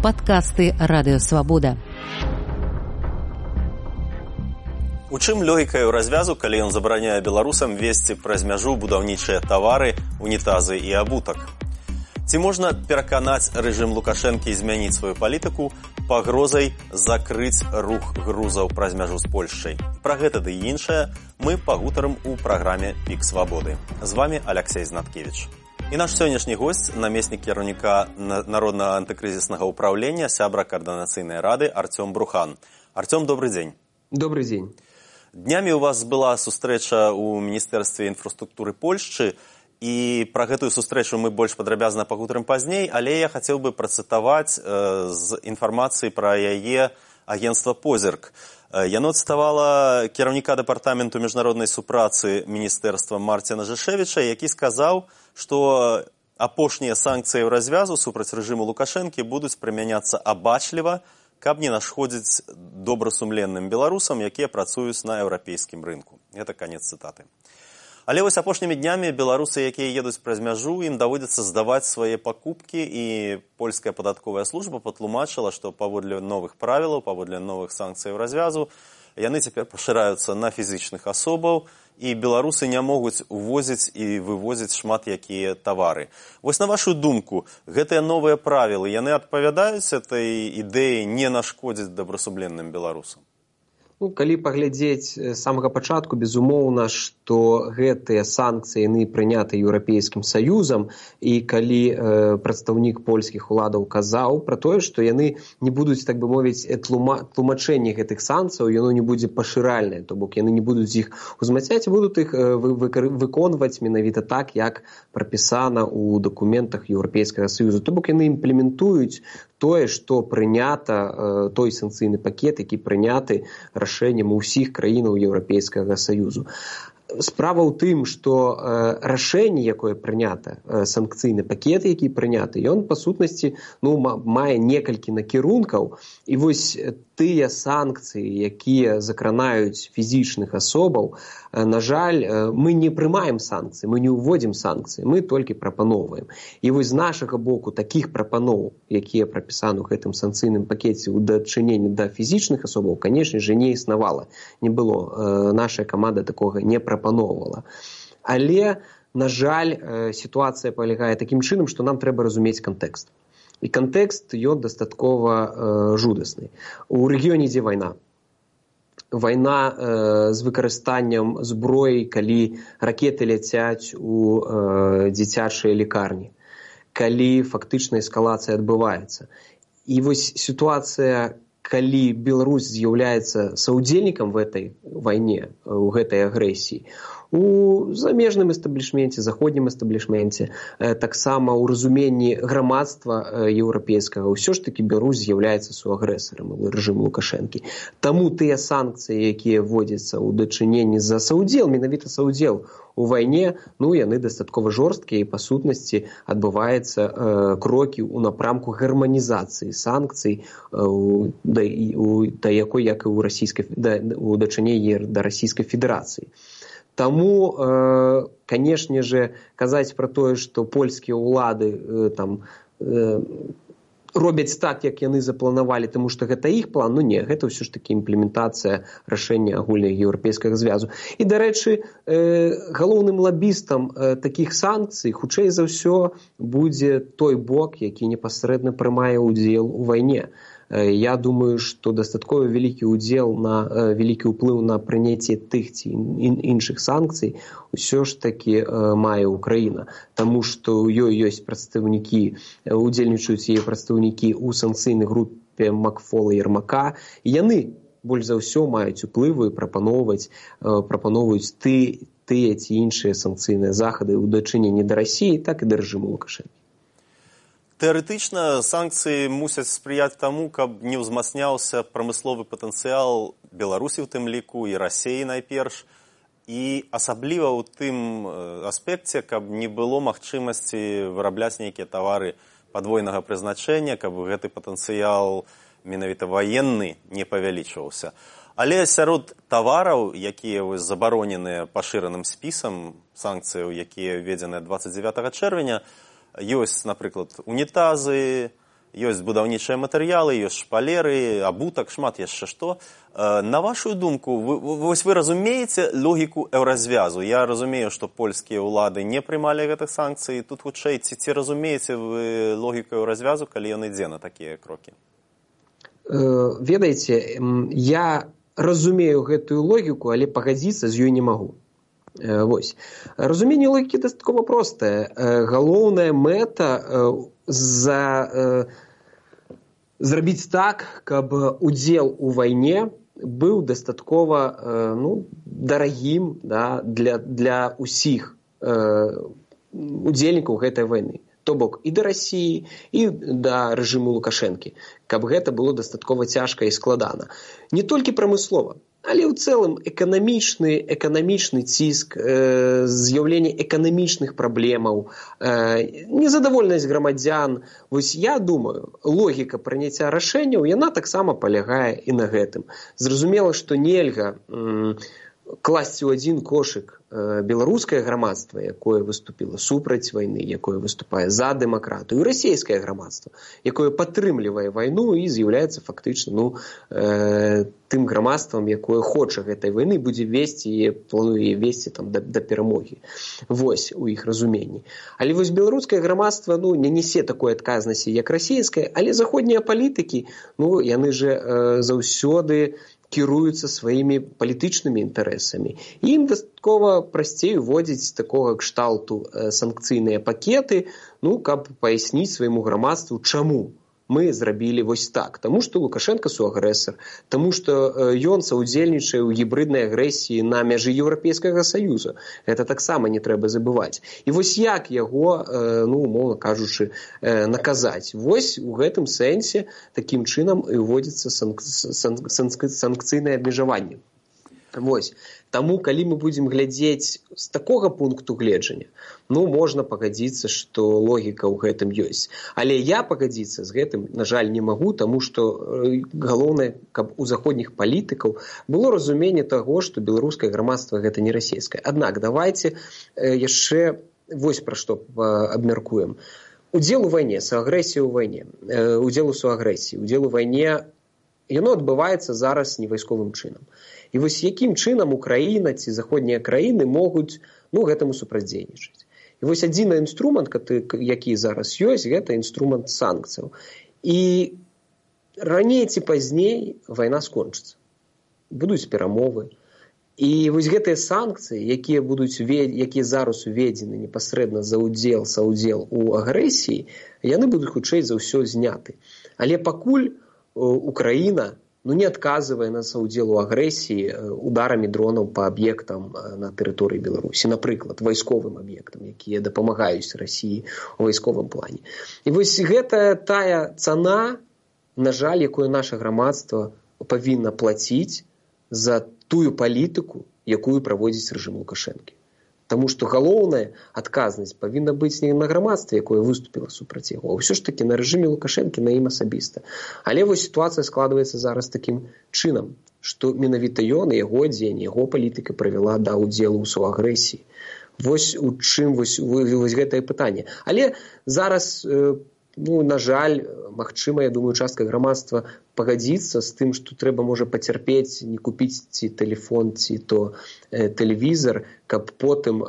Падкасты Радыёвабода. У чым логіка ў развязу, калі ён забараняе беларусам везці праз мяжу будаўнічыя тавары, унітазы і абутак? Ці можна пераканаць рэжым Лукашэнкі змяніць сваю палітыку пагрозай закрыць рух грузаў праз мяжу з Польшчай? Пра гэта ды іншае мы пагутарым у праграме «Пік свабоды». З вами Алексей Знаткевич. І наш сённяшні госць, намеснік кіраўніка Народнага антыкрызіснага ўпраўлення, сябра Каардынацыйнай рады Артём Брухан. Артём, добрый дзень. Добрый дзень. Днямі у вас была сустрэча ў Міністэрстве інфраструктуры Польшчы, і пра гэтую сустрэчу мы больш падрабязна пагутарым пазней, але я хацеў бы працытаваць з інфармацыі пра яе агенцтва «Позірк». Яно цытавала кіраўніка дэпартаменту міжнароднай супрацы міністэрства Марціна Жышэвіча, які сказаў, што апошнія санкцыі ў развязу супраць рэжыму Лукашэнкі будуць прымяняцца абачліва, каб не нашкодзіць добрасумленным беларусам, якія працуюць на еўрапейскім рынку. Гэта канец цытаты. Але вось апошнімі днямі беларусы, якія едуць праз мяжу, ім даводзіцца здаваць свае пакупкі, і польская падатковая служба патлумачыла, што паводле новых правілаў, паводле новых санкцыяў развязу, яны цяпер пашыраюцца на фізічных асобаў, і беларусы не могуць увозіць і вывозіць шмат якія тавары. Вось на вашу думку, гэтыя новыя правілы, яны адпавядаюць этой ідэі не нашкодзіць добрасумленным беларусам? Калі паглядзець з самага пачатку, безумоўна, што гэтыя санкцыі яны прыняты Еўрапейскім Саюзам, і калі прадстаўнік польскіх уладаў казаў пра тое, што яны не будуць, так бы мовіць, тлумачэнне гэтых санкцыяў, яно не будзе пашыральнае, то бок яны не будуць іх узмацняць, будуць іх выконваць менавіта так, як прапісана ў дакументах Еўрапейскага Саюзу. То бок яны імплементуюць тое, што прынята, той санкцыйны пакет, які прыняты рашэннем усіх краінаў Еўрапейскага Саюзу. Справа ў тым, што рашэнне, якое прынята, санкцыйны пакет, які прыняты, ён, па сутнасці, мае некалькі накірункаў, і вось тыя санкцыі, якія закранаюць фізічных асобаў, на жаль, мы не прымаем санкцыі, мы не ўводзім санкцыі, мы толькі прапаноўваем. І вось з нашага боку такіх прапаноў, якія прапісаны ў гэтым санкцыйным пакеце ў дачыненні да фізічных асобаў, канешне ж, не існавала, не было. Наша каманда такога не прапаноўвала. Але, на жаль, сітуацыя палягае такім чынам, што нам трэба разумець кантэкст. І кантэкст, ён дастаткова жудасны. У рэгіёне ідзе вайна. Вайна з выкарыстаннем зброі, калі ракеты ляцяць у дзіцячыя лікарні, калі фактычна эскалацыя адбываецца. І вось сітуацыя, калі Беларусь з'яўляецца саўдзельнікам в этой вайне, у гэтай агрэсіі, у замежным эстаблішменце, заходнім эстаблішменце, таксама ў разуменні грамадства еўрапейскага, ўсё ж такі Беларусь з'яўляецца суагрэсарам рэжыму Лукашэнкі. Таму тыя санкцыі, якія вводзяцца ў дачыненні за саўдзел, менавіта саўдзел у вайне, яны дастаткова жорсткія, і па сутнасці адбываецца крокі ў напрамку гарманізацыі санкцый да якой, як і ў дачыненні да Расійскай Федэрацыі. Таму, канешне же, казаць пра тое, што польскія ўлады робяць так, як яны запланавалі, таму што гэта іх план, не, гэта ўсё ж такі імплементацыя рашэння агульнага еўрапейскага звязу. І, дарэчы, галоўным лабістам такіх санкцый, хутчэй за ўсё, будзе той бок, які непасрэдна прымае ўдзел у вайне. Я думаю, што дастаткова вялікі ўплыў на прыняцце тых ці іншых санкцый усё ж такі мае Украіна. Таму што ў ёй ёсць прадстаўнікі, удзельнічаюць яе прадстаўнікі ў санкцыйнай групе Макфола і Ярмака. Яны больш за ўсё маюць уплыву і прапаноўваюць тыя ці іншыя санкцыйныя захады ў дачыненні да Расіі, так і да рэжыму Лукашэнкі. Тэарэтычна санкцыі мусяць спрыяць таму, каб не ўзмацняўся прамысловы патэнцыял Беларусі ў тым ліку і Расіі найперш, і асабліва ў тым аспекце, каб не было магчымасці вырабляць нейкія тавары падвойнага прызначэння, каб гэты патэнцыял менавіта ваенны не павялічваўся. Але сярод тавараў, якія забароненыя пашыраным спісам санкцыяў, якія введзеныя 29 чэрвеня, ёсць, напрыклад, унітазы, ёсць будаўнічыя матэрыялы, ёсць шпалеры, абутак, шмат яшчэ што. На вашу думку, вы разумееце логіку еўразвязу? Я разумею, што польскія ўлады не прымалі гэтых санкцый. Тут хутчэй, ці разумееце вы логіку еўразвязу, калі ён ідзе на такія крокі? Ведаеце, я разумею гэтую логіку, але пагадзіцца з ёй не магу. Вось. Разуменне логікі дастаткова простае. Галоўная мэта зрабіць так, каб удзел у вайне быў дастаткова дарагім, да, для ўсіх удзельнікаў гэтай вайны. То бок і да Расіі, і да рэжыму Лукашэнкі, каб гэта было дастаткова цяжка і складана. Не толькі прамыслова, але ў цэлым эканамічны ціск, з'яўленне эканамічных праблемаў, незадаволенасць грамадзян. Вось я думаю, логіка прыняцця рашэнняў, яна таксама палягае і на гэтым. Зразумела, што нельга класці ў адзін кошык беларускае грамадства, якое выступіла супраць вайны, якое выступае за дэмакратыю, і расійскае грамадства, якое падтрымлівае вайну і з'яўляецца фактычна тым грамадствам, якое хоча гэтай вайны, будзе весці і плануе весці да перамогі. Вось у іх разуменні. Але вось беларускае грамадства не нясе такой адказнасці, як расійскае, але заходнія палітыкі, яны же заўсёды кіруюцца сваімі палітычнымі інтарэсамі. Ім дастаткова прасцей уводзіць такога кшталту санкцыйныя пакеты, каб паясніць свайму грамадству, чаму мы зрабілі вось так. Таму што Лукашенка суагрэсар, таму што ён саўдзельнічае ў гібрыднай агрэсіі на мяжы Еўрапейскага Саюза. Гэта таксама не трэба забываць. І вось як яго, умоўна кажучы, наказаць. Вось у гэтым сэнсе такім чынам і ўводзіцца санкцыйнае абмежаванне. Вось. Таму, калі мы будзем глядзець з такога пункту гледжання, можна пагадзіцца, што логіка ў гэтым ёсць. Але я пагадзіцца з гэтым, на жаль, не магу, таму што галоўнае, каб у заходніх палітыкаў было разуменне таго, што беларускае грамадства гэта не расійскае. Аднак, давайце яшчэ вось пра што абмяркуем. Удзел у вайне, суагрэсія ў вайне, удзел у суагрэсіі, удзел у вайне, яно адбываецца зараз не вайсковым чынам. І вось якім чынам Украіна ці заходнія краіны могуць гэтаму супрацьдзейнічаць. І вось адзіны інструмент, які зараз ёсць, гэта інструмент санкцыяў. І раней ці пазней вайна скончыцца. Будуць перамовы. І вось гэтыя санкцыі, якія зараз уведзены непасрэдна за саўдзел у агрэсіі, яны будуць хутчэй за ўсё зняты. Але пакуль Украіна не адказвае на саўдзел у агрэсіі ударамі дронаў па аб'ектам на тэрыторыі Беларусі, напрыклад, вайсковым аб'ектам, якія дапамагаюць Расіі ў вайсковым плане. І вось гэта тая цана, на жаль, якую наша грамадства павінна плаціць за тую палітыку, якую праводзіць рэжым Лукашэнкі. Таму што галоўная адказнасць павінна быць не на грамадстве, якое выступіла супраць яго, а ўсё ж такі на рэжыме Лукашэнкі, на ім асабіста. Але вось сітуацыя складваецца зараз такім чынам, што менавіта ён і яго дзень, яго палітыка прывяла да ўдзелу ў суагрэсіі. Вось у чым вось гэтае пытанне. Але зараз, на жаль, магчыма, я думаю, частка грамадства пагадзіцца з тым, што трэба, можа, пацярпець, не купіць ці тэлефон, ці то тэлевізор, каб потым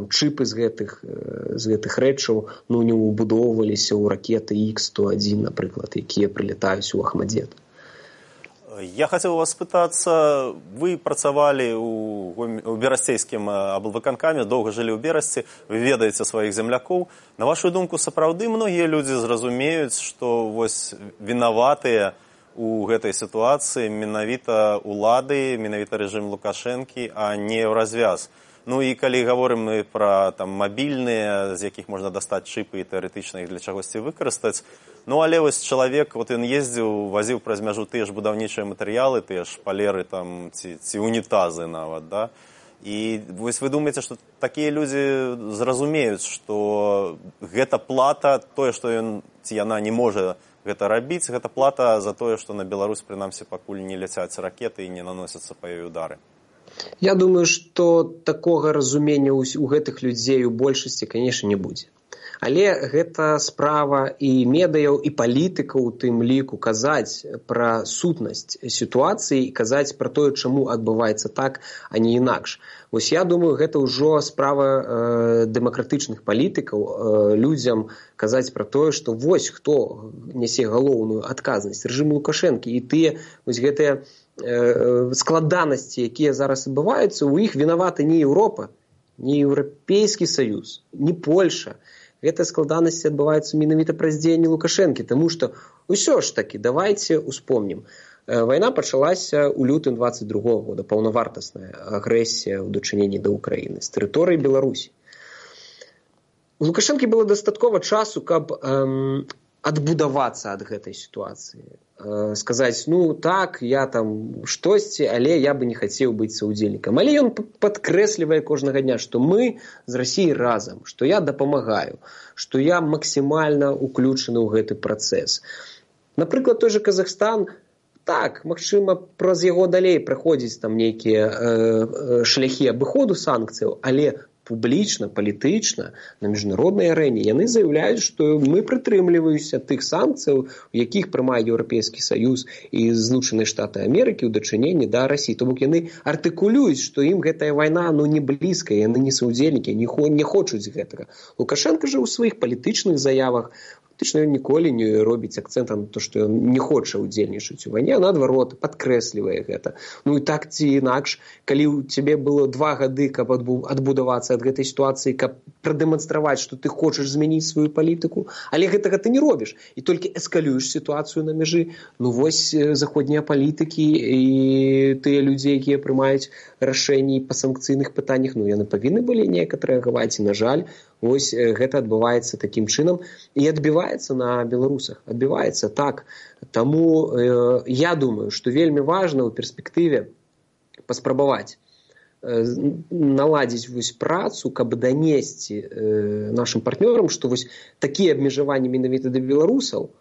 чыпы з гэтых рэчаў не ўбудоўваліся ў ракеты Х-101, напрыклад, якія прылетаюць у Ахмадзет. Я хотел у вас спытацца, вы працавалі ў берасцейскім аблвыканкаме, доўга жылі ў Берасці, вы ведаеце сваіх землякоў. На вашу думку, сапраўды многія людзі зразумеюць, што вось вінаватыя у гэтай сітуацыі менавіта улады, менавіта рэжым Лукашэнкі, а не развяз. І калі гаворым мы пра мабільныя, з якіх можна дастаць чыпы і тэарэтычна іх для чагосьці выкарыстаць, але вось чалавек, ён ездзіў, вазіў праз мяжу тыя ж будаўнічыя матэрыялы, тыя ж шпалеры ці унітазы нават, да? І вось вы думаеце, што такія людзі зразумеюць, што гэта плата, тое, што ён ці яна не можа гэта рабіць, гэта плата за тое, што на Беларусь, прынамсі, пакуль не ляцяць ракеты і не наносяцца па ёй удары. Я думаю, што такога разумення ў гэтых людзей у большасці, канешне, не будзе. Але гэта справа і медыяў, і палітыкаў у тым ліку казаць пра сутнасць сітуацыі і казаць пра тое, чаму адбываецца так, а не інакш. Вось я думаю, гэта ўжо справа дэмакратычных палітыкаў, людзям казаць пра тое, што вось хто нясе галоўную адказнасць, рэжым Лукашэнкі, і тыя вось гэтыя складанасці, якія зараз адбываюцца, у іх вінаваты не Еўропа, не Еўрапейскі Саюз, не Польша. Гэтыя складанасці адбываюцца менавіта праз дзеянні Лукашэнкі, таму што ўсё ж такі, давайце успомнім. Вайна пачалася ў лютым 22-го года, паўнавартасная агрэсія ў дачыненні да Ўкраіны з тэрыторыі Беларусі. У Лукашэнкі было дастаткова часу, каб адбудавацца ад гэтай сітуацыі. Сказаць, ну так, я там штосьці, але я бы не хацеў быць саўдзельнікам. Але ён падкрэслівае кожнага дня, што мы з Расіяй разам, што я дапамагаю, што я максімальна уключаны ў гэты працэс. Напрыклад, той же Казахстан, так, магчыма, праз яго далей праходзіць там нейкія шляхі абыходу санкцыяў, але публічна, палітычна, на міжнароднай арэне яны заяўляюць, што мы прытрымліваемся тых санкцыяў, у якіх прымае Еўрапейскі Саюз і Злучаныя Штаты Амерыкі ў дачыненні да Расіі. То бок яны артыкулююць, што ім гэтая вайна не блізкая, яны не саўдзельнікі, не хочуць гэтага. Лукашенко жа ў сваіх палітычных заявах фактычна ён ніколі не робіць акцэнта на то, што ён не хоча ўдзельнічаць у вайне, а наадварот, падкрэслівае гэта. Ну і так ці інакш, калі ў цябе было 2 гады, каб адбудавацца ад гэтай сітуацыі, каб прадэманстраваць, што ты хочаш змяніць сваю палітыку, але гэтага ты не робіш, і толькі эскалюеш сітуацыю на мяжы, ну вось заходнія палітыкі і тыя людзі, якія прымаюць рашэнні па санкцыйных пытаннях, ну яны павінны былі неяк адрэагаваць, і на жаль, вось гэта адбываецца такім чынам і адбіваецца на беларусах, адбіваецца так. Таму я думаю, што вельмі важна ў перспектыве паспрабаваць наладзіць вось працу, каб данесці нашым партнёрам, што вось такія абмежаванні менавіта да беларусаў,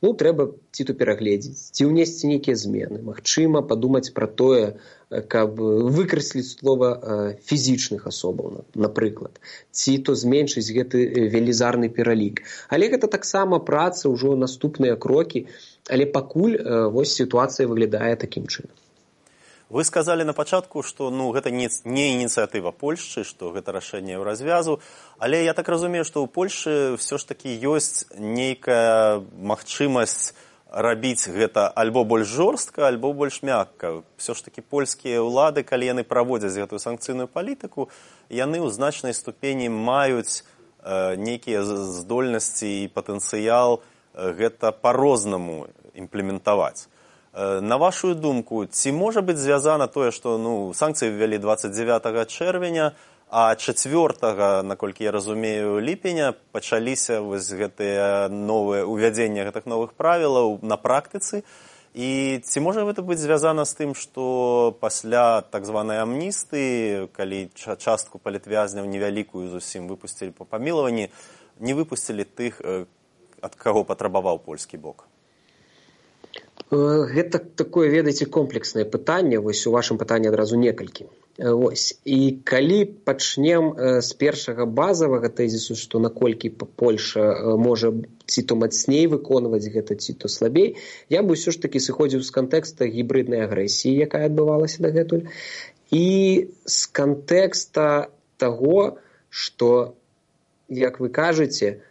ну, трэба ці то перагледзець, ці ўнесці нейкія змены. Магчыма, падумаць пра тое, каб выкрэсліць слова фізічных асобаў, напрыклад, ці то зменшыць гэты велізарны пералік. Але гэта таксама праца, ўжо наступныя крокі, але пакуль вось сітуацыя выглядае такім чынам. Вы сказалі на пачатку, што гэта не ініцыятыва Польшчы, што гэта рашэнне Еўразвязу, але я так разумею, што ў Польшчы ўсё ж такі ёсць нейкая магчымасць рабіць гэта альбо больш жорстка, альбо больш мякка. Ўсё ж такі польскія ўлады, калі яны праводзяць гэтую санкцыйную палітыку, яны ў значнай ступені маюць нейкія здольнасці і патэнцыял гэта па-рознаму імплементаваць. На вашу думку, ці можа быць звязана тое, што санкцыі ввялі 29 чэрвеня, а 4, наколькі я разумею, ліпеня пачаліся вось гэтыя новыя увядзення гэтых новых правілаў на практыцы, і ці можа гэта быць звязана з тым, што пасля так званай амністыі, калі частку палітвязняў невялікую зусім выпусцілі па памілаванні, не выпусцілі тых, ад каго патрабаваў польскі бок? Гэта такое, ведаеце, комплекснае пытанне, вось у вашым пытанні адразу некалькі. Вось. І калі пачнем з першага базавага тэзісу, што наколькі Польша можа ці то мацней выконваць гэта, ці то слабей, я бы ўсё ж такі сыходзіў з кантэкста гібрыднай агрэсіі, якая адбывалася дагэтуль, і з кантэкста таго, што, як вы кажаце,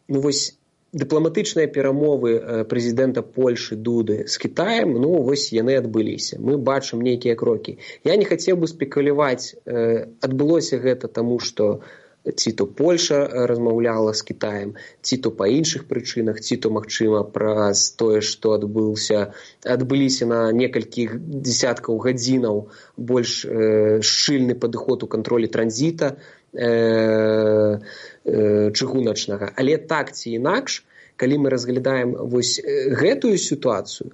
вось дыпламатычныя перамовы прэзідэнта Польшы Дуды з Кітаем, вось яны адбыліся. Мы бачым нейкія крокі. Я не хацеў бы спекуляваць, адбылося гэта таму, што ці то Польша размаўляла з Кітаем, ці то па іншых прычынах, ці то, магчыма, праз тое, што адбыліся на некалькіх дзесяткаў гадзінаў больш шчыльны падыход у кантролі транзіта чыгуначнага. Але так ці інакш, калі мы разглядаем вось гэтую сітуацыю,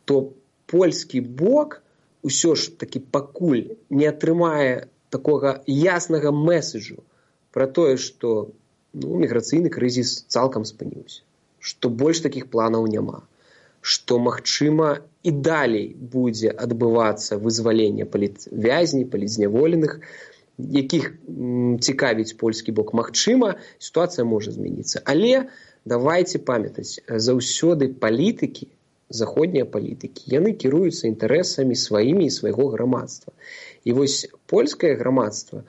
то польскі бок усё ж такі пакуль не атрымае такога яснага меседжу пра тое, што міграцыйны крызіс цалкам спыніўся, што больш такіх планаў няма, што, магчыма, і далей будзе адбывацца вызваленне палітвязней, палітзняволеных, якіх цікавіць польскі бок, магчыма, сітуацыя можа змяніцца. Але давайте памятаць, заўсёды палітыкі, заходнія палітыкі, яны кіруюцца інтарэсамі сваімі і свайго грамадства. І вось польскае грамадства,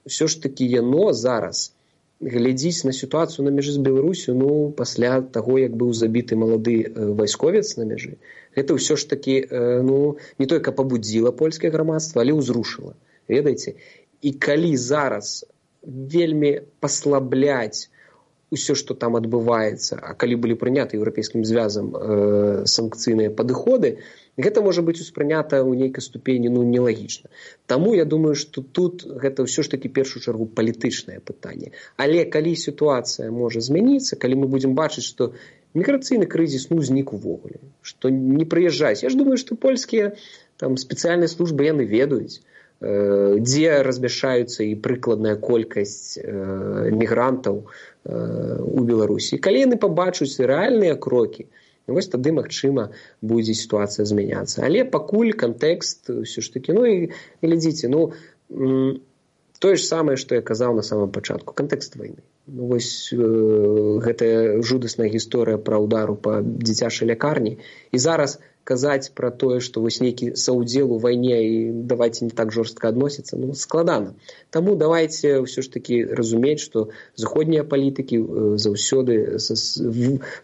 ўсё ж такі яно зараз глядзіць на сітуацыю на мяжы з Беларусю, пасля таго, як быў забіты малады вайсковец на мяжы, гэта ўсё ж такі, не толькі пабудзіла польскае грамадства, але ўзрушыла. Ведаеце? І калі зараз вельмі паслабляць усё, што там адбываецца, а калі былі прыняты еўрапейскім звязам санкцыйныя падыходы, гэта можа быць успрынята ў нейкай ступені нелагічна. Таму я думаю, што тут гэта ўсё ж такі першую чаргу палітычнае пытанне. Але калі сітуацыя можа змяніцца, калі мы будзем бачыць, што міграцыйны крызіс знік увогуле, што не прыязджаюць. Я ж думаю, што польскія спецыяльныя службы яны ведаюць, дзе размяшчаюцца і прыкладная колькасць мігрантаў у Беларусі. Калі яны пабачуць рэальныя крокі, вось тады, магчыма, будзе сітуацыя змяняцца. Але пакуль кантэкст ўсё ж такі, і глядзіце, тое ж самае, што я казаў на самом пачатку, кантэкст вайны. Вось гэтая жудасная гісторыя пра ўдару па дзіцячай лякарні. І зараз казаць пра тое, што вось нейкі саўдзел у вайне і давайте не так жорстка адносіцца, складана. Таму давайте ўсё ж такі разумець, што заходнія палітыкі заўсёды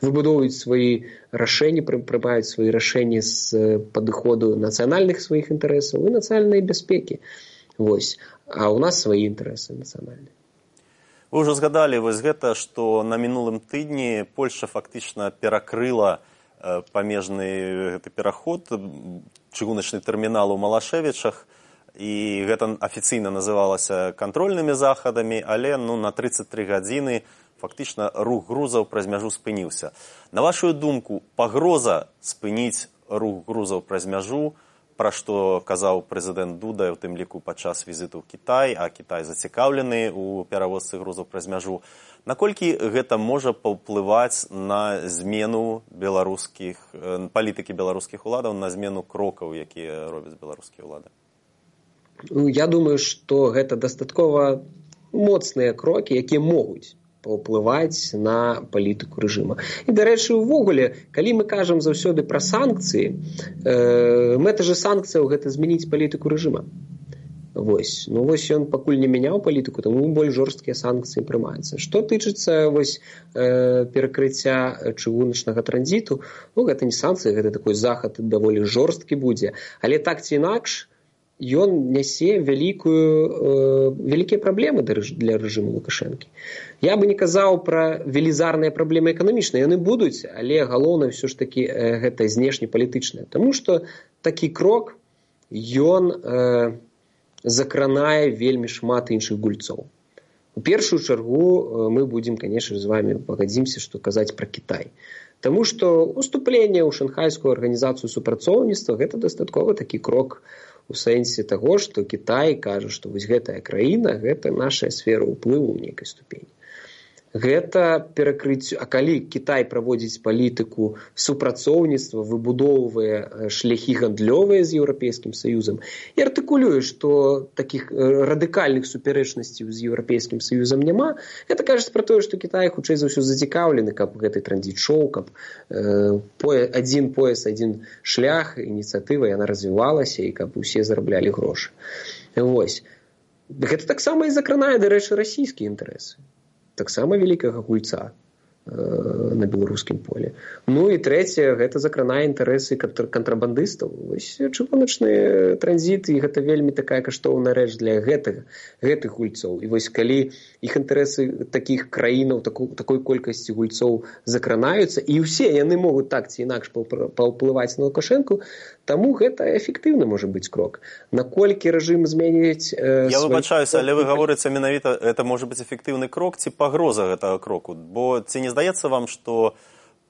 выбудоўваюць свае рашэнні, прымаюць свае рашэнні з падыходу нацыянальных сваіх інтарэсаў і нацыянальнай бяспекі. Вось. А ў нас свае інтарэсы нацыянальныя. Вы ўжо згадалі вось гэта, што на мінулым тыдні Польшча фактычна перакрыла памежны гэты пераход, чыгуначны тэрмінал у Малашэвічах, і гэта афіцыйна называлася кантрольнымі захадамі, але на 33 гадзіны фактычна рух грузаў праз мяжу спыніўся. На вашу думку, пагроза спыніць рух грузаў праз мяжу, пра што казаў прэзідэнт Дуда, у тым ліку падчас візіту ў Кітай, а Кітай зацікаўлены ў перавозцы грузаў праз мяжу. Наколькі гэта можа паўплываць на змену палітыкі беларускіх уладаў, на змену крокаў, якія робяць беларускія ўлады? Я думаю, што гэта дастаткова моцныя крокі, якія могуць паўплываць на палітыку рэжыма. І, дарэчы, увогуле, калі мы кажам заўсёды пра санкцыі, мэта же санкцыяў гэта змяніць палітыку рэжыма. Вось ён пакуль не мяняў палітыку, таму больш жорсткія санкцыі прымаюцца. Што тычыцца перакрыцця чыгуначнага транзіту, гэта не санкцыі, гэта такой захад даволі жорсткі будзе, але так ці інакш ён нясе вялікія праблемы для рэжыму Лукашэнкі. Я бы не казаў пра велізарныя праблемы эканамічныя, яны будуць, але галоўнае ўсё ж такі гэта знешнепалітычнае. Таму што такі крок, ён закранае вельмі шмат іншых гульцоў. У першую чаргу мы будзем, канешне, з вами пагадзімся, што казаць пра Кітай. Таму што уступленне ў шанхайскую арганізацыю супрацоўніцтва гэта дастаткова такі крок у сэнсе таго, што Кітай кажа, што вось гэтая краіна, гэта наша сфера ўплыву ў нейкай ступені. Гэта перакрыццё, а калі Кітай праводзіць палітыку супрацоўніцтва, выбудоўвае шляхі гандлёвыя з Еўрапейскім Саюзам і артыкулюе, што такіх радыкальных супярэчнасцей з Еўрапейскім Саюзам няма, гэта кажа пра тое, што Кітай хутчэй за ўсё зацікаўлены, каб гэты транзіт шоў, каб адзін пояс, адзін шлях, ініцыятыва, яна развівалася і каб усе зараблялі грошы. Вось. Гэта таксама і закранае, дарэчы, расійскія інтарэсы. Таксама вялікага гульца на беларускім полі. І трэцяе, гэта закранае інтарэсы кантрабандыстаў. Вось чыгуначны транзіт, і гэта вельмі такая каштоўная рэч для гэтых гульцоў. І вось калі іх інтарэсы такіх краінаў, такой колькасці гульцоў закранаюцца, і ўсе яны могуць так ці інакш паўплываць на Лукашэнку, таму гэта эфектыўны можа быць крок. Наколькі рэжым зменіць... Я выбачаюся, але вы гаворыце менавіта, это можа быць эфектыўны крок ці пагроза гэтага кроку? Бо ці не здаецца вам, што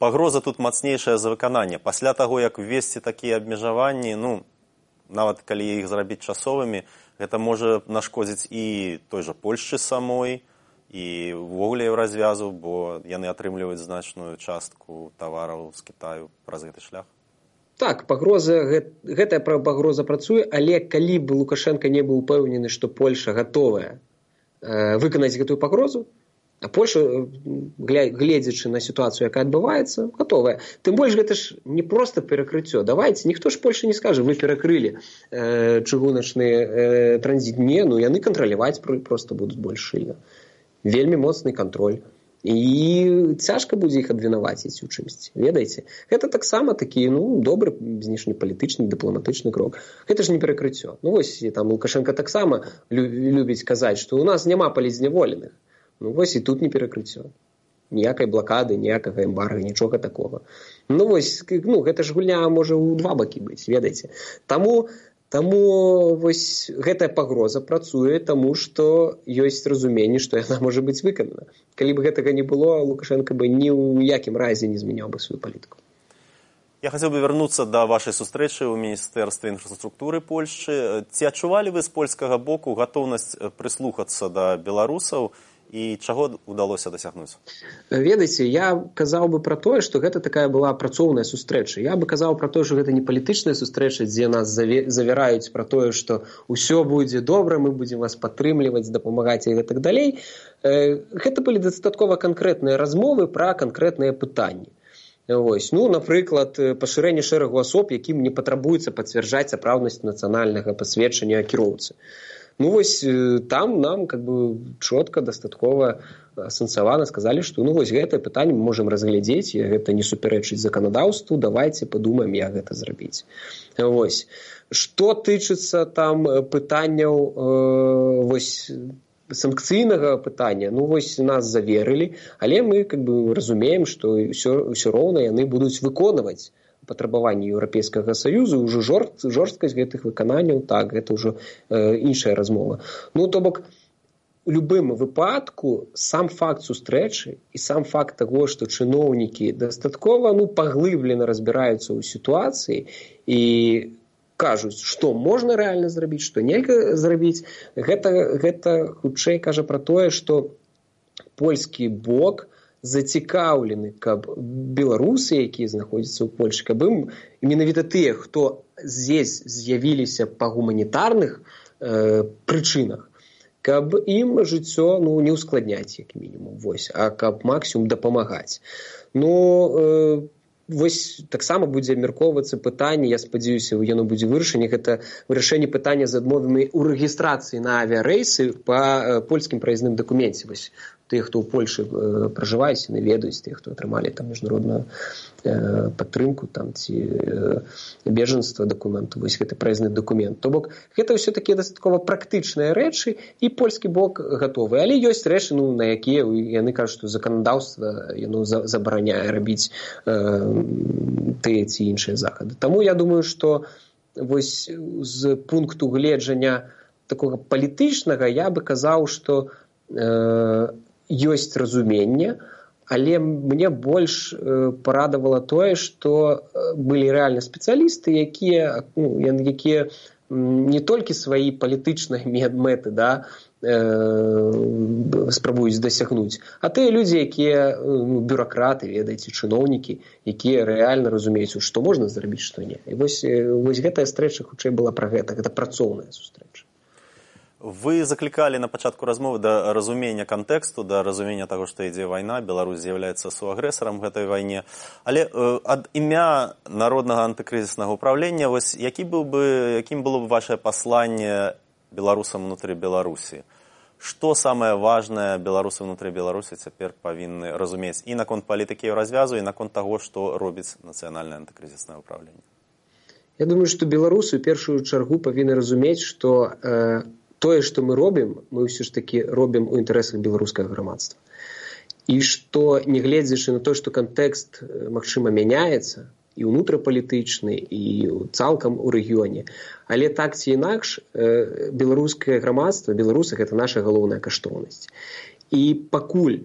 пагроза тут мацнейшая за выкананне? Пасля таго, як ввесці такія абмежаванні, нават калі іх зрабіць часовымі, гэта можа нашкодзіць і той жа Польшчы самой, і ўвогуле развязу, бо яны атрымліваюць значную частку тавараў з Кітаю праз гэты шлях. Так, гэтая пагроза працуе, але калі б Лукашенко не быў упэўнены, што Польша гатовая выканаць гэтую пагрозу, а Польша, гледзячы на сітуацыю, якая адбываецца, гатовая. Тым больш, гэта ж не проста перакрыццё. Давайце, ніхто ж Польша не скажа, вы перакрылі чыгуначны транзіт. Не, яны кантраляваць проста будуць больш шчыльна. Вельмі моцны кантроль. І цяжка будзе іх абвінаваціць у чымсьці, ведаеце? Гэта таксама такі, добры знешнепалітычны, дыпламатычны крок. Гэта ж не перакрыццё. Вось, там Лукашенко таксама любіць казаць, што у нас няма палізняволеных. Вось і тут не перакрыццё. Ніякай блакады, ніякага эмбарга, нічога такога. Вось, гэта ж гульня можа ў два бакі быць, ведаеце? Таму вось гэтая пагроза працуе, таму што ёсць разуменне, што яна можа быць выканана. Калі б гэтага не было, Лукашенко бы ні ў якім разе не змяняў бы сваю палітыку. Я хацеў бы вярнуцца да вашай сустрэчы ў Міністэрстве інфраструктуры Польшчы. Ці адчувалі вы з польскага боку гатоўнасць прыслухацца да беларусаў і чаго ўдалося дасягнуць? Ведаеце, я казаў бы пра тое, што гэта такая была працоўная сустрэча. Я бы казаў пра тое, што гэта не палітычная сустрэча, дзе нас завяраюць пра тое, што ўсё будзе добра, мы будзем вас падтрымліваць, дапамагаць і гэтак далей. Гэта былі дастаткова канкрэтныя размовы пра канкрэтныя пытанні. Вось. Напрыклад, пашырэнне шэрагу асоб, якім не патрабуецца пацвярджаць сапраўднасць нацыянальнага пасведчання кіроўцы. Вось там нам чётка, дастаткова асэнсавана сказалі, што вось гэтае пытанне мы можам разглядзець, і гэта не супярэчыць заканадаўству, давайце падумаем, як гэта зрабіць. Вось. Што тычыцца там пытанняў санкцыйнага пытання, вось нас заверылі, але мы разумеем, што ўсё роўна яны будуць выконваць патрабаванні Еўрапейскага Саюзу, ўжо жорсткасць гэтых выкананняў, так, гэта ўжо іншая размова. То бок, у любым выпадку сам факт сустрэчы і сам факт таго, што чыноўнікі дастаткова паглыблена разбіраюцца ў сітуацыі і кажуць, што можна рэальна зрабіць, што нельга зрабіць, гэта хутчэй кажа пра тое, што польскі бок зацікаўлены, каб беларусы, якія знаходзяцца ў Польшчы, каб ім менавіта тыя, хто здесь з'явіліся па гуманітарных прычынах, каб ім жыццё не ўскладняць, як мінімум, а каб максімум дапамагаць. Вось таксама будзе абмяркоўвацца пытанне, я спадзяюся, яно будзе вырашэнне, гэта вырашэнне пытання з адмовамі ў рэгістрацыі на авіярэйсы па польскім праязным дакуменце. Вось тыя, хто ў Польшы пражываюць, яны ведаюць, тыя, хто атрымалі там міжнародную падтрымку там, ці бежанства дакументу, вось гэты праязны дакумент. То бок, гэта ўсё такія дастаткова практычныя рэчы, і польскі бок гатовы. Але ёсць рэчы, на якія яны кажуць, што заканадаўства яно забараняе рабіць тыя ці іншыя захады. Таму я думаю, што вось з пункту гледжання такога палітычнага я бы казаў, што ёсць разуменне, але мне больш парадавала тое, што былі рэальна спецыялісты, якія не толькі свае палітычныя мэты спрабуюць дасягнуць, а тыя людзі, якія бюракраты, ведаеце, чыноўнікі, якія рэальна разумеюць, што можна зрабіць, што не. І вось гэтая стрэча хутчэй была пра гэта працоўная сустрэча. Вы заклікалі на пачатку размовы да разумення кантэксту, да разумення таго, што ідзе вайна, Беларусь з'яўляецца суагрэсарам гэтай вайне. Але ад імя Народнага антыкрызіснага ўправлення, вось якім было б вашае пасланне беларусам унутры Беларусі? Што самае важнае беларусы ўнутры Беларусі цяпер павінны разумець і наконт палітыкі развязу, і наконт таго, што робіць Нацыянальнае антыкрызіснае ўправленне? Я думаю, што беларусы ў першую чаргу павінны разумець, што тое, што мы робім, мы ўсё ж такі робім у інтарэсах беларускага грамадства. І што, нягледзячы на то, што кантэкст, магчыма, мяняецца, і ўнутрапалітычны, і цалкам у рэгіёне, але так ці інакш, беларускае грамадства, беларусы – гэта наша галоўная каштоўнасць. І пакуль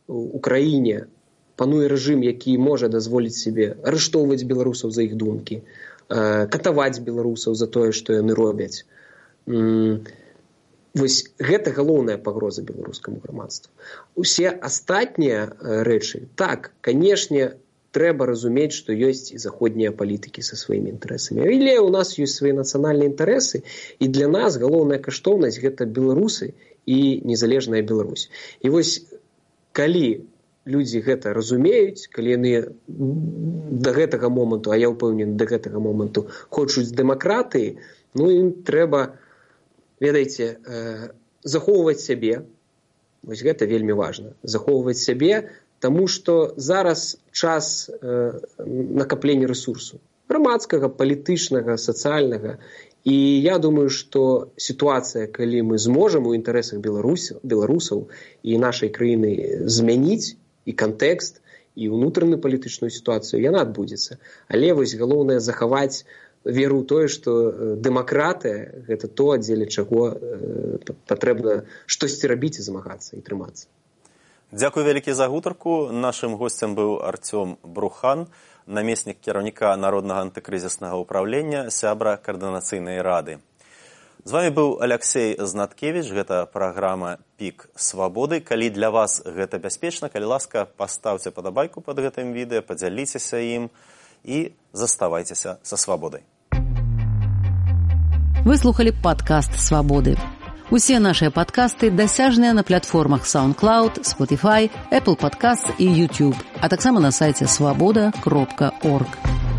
у краіне пануе рэжым, які можа дазволіць сабе арыштоўваць беларусаў за іх думкі, катаваць беларусаў за тое, што яны робяць, вось гэта галоўная пагроза беларускаму грамадству. Усе астатнія рэчы, так, канешне, трэба разумець, што ёсць і заходнія палітыкі са сваімі інтарэсамі. Але ў нас ёсць свае нацыянальныя інтарэсы, і для нас галоўная каштоўнасць – гэта беларусы і незалежная Беларусь. І вось, калі людзі гэта разумеюць, калі яны да гэтага моманту, а я ўпэўнены, да гэтага моманту хочуць дэмакратыі, ім трэба, ведаеце, захоўваць сябе. Вось гэта вельмі важна. Захоўваць сябе, таму што зараз час накаплення рэсурсу. Грамадскага, палітычнага, сацыяльнага. І я думаю, што сітуацыя, калі мы зможам у інтарэсах беларусаў і нашай краіны змяніць і кантэкст, і ўнутраную палітычную сітуацыю, яна адбудзецца. Але вось галоўнае захаваць веру ў тое, што дэмакратыя – гэта то, дзеля чаго патрэбна штосьці рабіць і змагацца, і трымацца. Дзякуй вялікі за гутарку. Нашым госцем быў Артём Брухан, намеснік кіраўніка Народнага антыкрызіснага ўпраўлення, сябра Каардынацыйнай рады. З вами быў Аляксей Знаткевіч, гэта праграма «Пік свабоды». Калі для вас гэта бяспечна, калі ласка, паставце падабайку пад гэтым відэа, падзяліцеся ім і заставайцеся са свабодай. Вы слухалі падкаст «Свабоды». Усе нашыя падкасты дасяжныя на платформах SoundCloud, Spotify, Apple Podcasts і YouTube, а таксама на сайце swaboda.org.